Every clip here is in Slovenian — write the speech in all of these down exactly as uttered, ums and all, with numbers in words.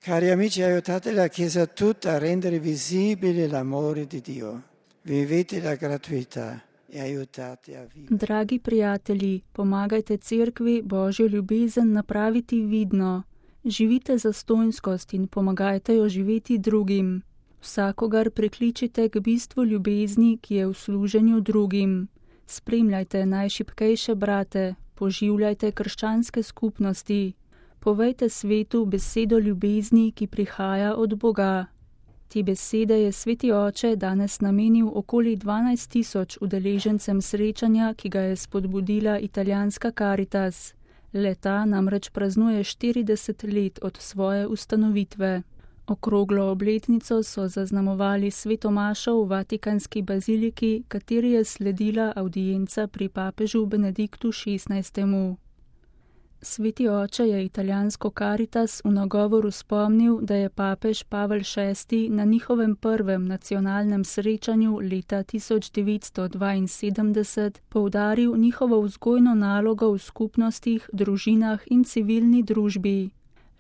Cari amici, aiutate la Chiesa tutta a rendere visibile l'amore di Dio. Vivete la gratuità e aiutate a vivere. Dragi prijatelji, pomagajte cerkvi Božjo ljubezen napraviti vidno. Živite zastonjskost in pomagajte jo živeti drugim. Vsakogar prikličite k bistvu ljubezni, ki je v služenju drugim. Spremljajte najšibkejše brate, poživljajte krščanske skupnosti. Povejte svetu besedo ljubezni, ki prihaja od Boga. Te besede je Sveti Oče danes namenil okoli dvanajst tisoč udeležencem srečanja, ki ga je spodbudila italijanska Caritas. Le-ta namreč praznuje štirideset let od svoje ustanovitve. Okroglo obletnico so zaznamovali sveto mašo v Vatikanski baziliki, kateri je sledila avdienca pri papežu Benediktu šestnajstemu. Sveti Oče je italijansko Caritas v nagovoru spomnil, da je papež Pavel šesti na njihovem prvem nacionalnem srečanju leta tisoč devetsto dvainsedemdeset poudaril njihovo vzgojno nalogo v skupnostih, družinah in civilni družbi.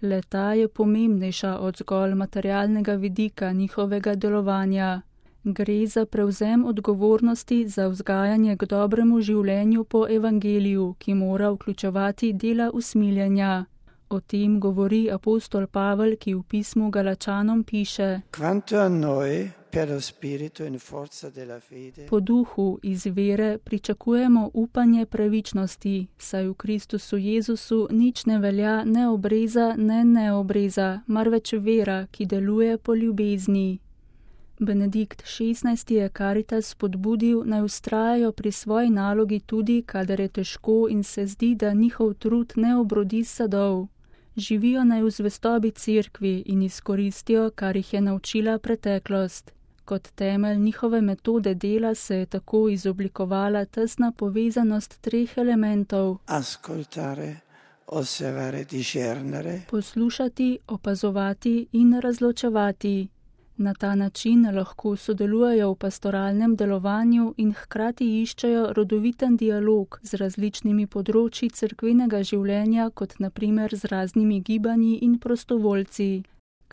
Le-ta je pomembnejša od zgolj materialnega vidika njihovega delovanja. Gre za prevzem odgovornosti za vzgajanje k dobremu življenju po evangeliju, ki mora vključevati dela usmiljenja. O tem govori apostol Pavel, ki v pismu Galačanom piše: Quanto a noi, per lo spirito in forza della fede, Po duhu iz vere pričakujemo upanje pravičnosti, saj v Kristusu Jezusu nič ne velja ne obreza, ne neobreza, marveč vera, ki deluje po ljubezni. Benedikt šestnajsti je Caritas spodbudil, naj vztrajajo pri svoji nalogi tudi, kadar je težko in se zdi, da njihov trud ne obrodi sadov. Živijo naj v zvestobi cerkvi in izkoristijo, kar jih je naučila preteklost. Kot temelj njihove metode dela se je tako izoblikovala tesna povezanost treh elementov: ascoltare, osservare, discernere, poslušati, opazovati in razločevati. Na ta način lahko sodelujejo v pastoralnem delovanju in hkrati iščejo rodoviten dialog z različnimi področji cerkvenega življenja, kot na primer z raznimi gibanji in prostovoljci.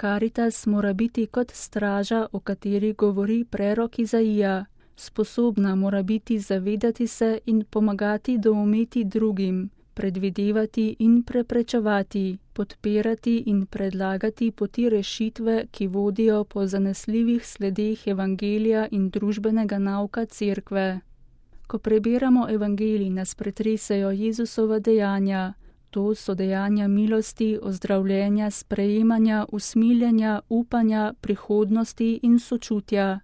Caritas mora biti kot straža, o kateri govori prerok Izaija. Sposobna mora biti zavedati se in pomagati doumeti drugim, predvidevati in preprečevati, podpirati in predlagati poti rešitve, ki vodijo po zanesljivih sledeh evangelija in družbenega nauka cerkve. Ko prebiramo evangelij, nas pretresejo Jezusova dejanja. To so dejanja milosti, ozdravljenja, sprejemanja, usmiljenja, upanja, prihodnosti in sočutja.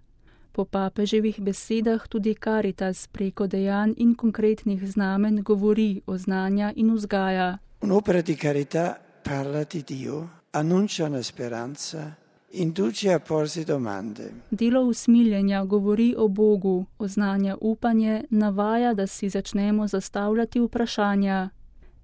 Po papeževih besedah tudi Caritas preko dejanj in konkretnih znamen govori, oznanja in vzgaja. Un'opera di carità parla di Dio, annuncia una speranza, induce a porsi domande. Delo usmiljenja govori o Bogu, oznanja upanje, navaja, da si začnemo zastavljati vprašanja.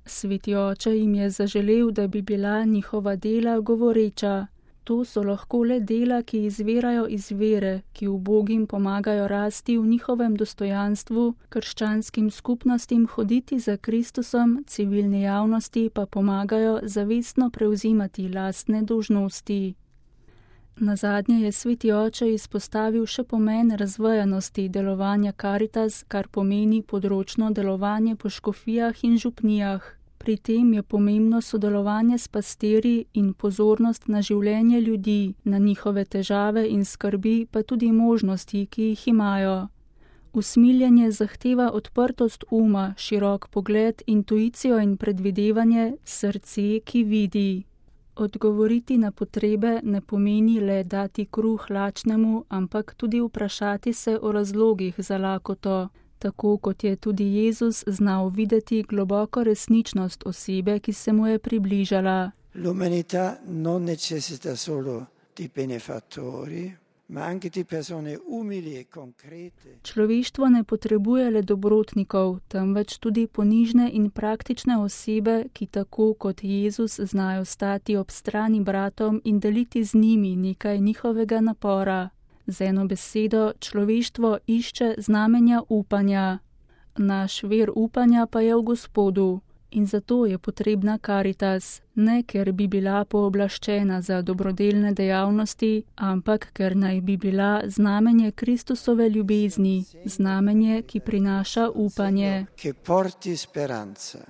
Sveti Oče jim je zaželel, da bi bila njihova dela govoreča. To so lahko le dela, ki izvirajo iz vere, ki ubogim pomagajo rasti v njihovem dostojanstvu, krščanskim skupnostim hoditi za Kristusom, civilni javnosti pa pomagajo zavestno prevzimati lastne dolžnosti. Nazadnje je Sveti Oče izpostavil še pomen razvejanosti delovanja Caritas, kar pomeni področno delovanje po škofijah in župnijah. Pri tem je pomembno sodelovanje s pastirji in pozornost na življenje ljudi, na njihove težave in skrbi, pa tudi možnosti, ki jih imajo. Usmiljenje zahteva odprtost uma, širok pogled, intuicijo in predvidevanje, srce, ki vidi. Odgovoriti na potrebe ne pomeni le dati kruh lačnemu, ampak tudi vprašati se o razlogih za lakoto. Tako kot je tudi Jezus znal videti globoko resničnost osebe, ki se mu je približala. L'umanità non necessita solo di benefattori, ma anche di persone umili e concrete. Človeštvo ne potrebuje le dobrotnikov, temveč tudi ponižne in praktične osebe, ki tako kot Jezus znajo stati ob strani bratom in deliti z njimi nekaj njihovega napora. Z eno besedo, človeštvo išče znamenja upanja. Naš vir upanja pa je v Gospodu. In zato je potrebna Karitas, ne ker bi bila pooblaščena za dobrodelne dejavnosti, ampak ker naj bi bila znamenje Kristusove ljubezni, znamenje, ki prinaša upanje. Che porti speranza.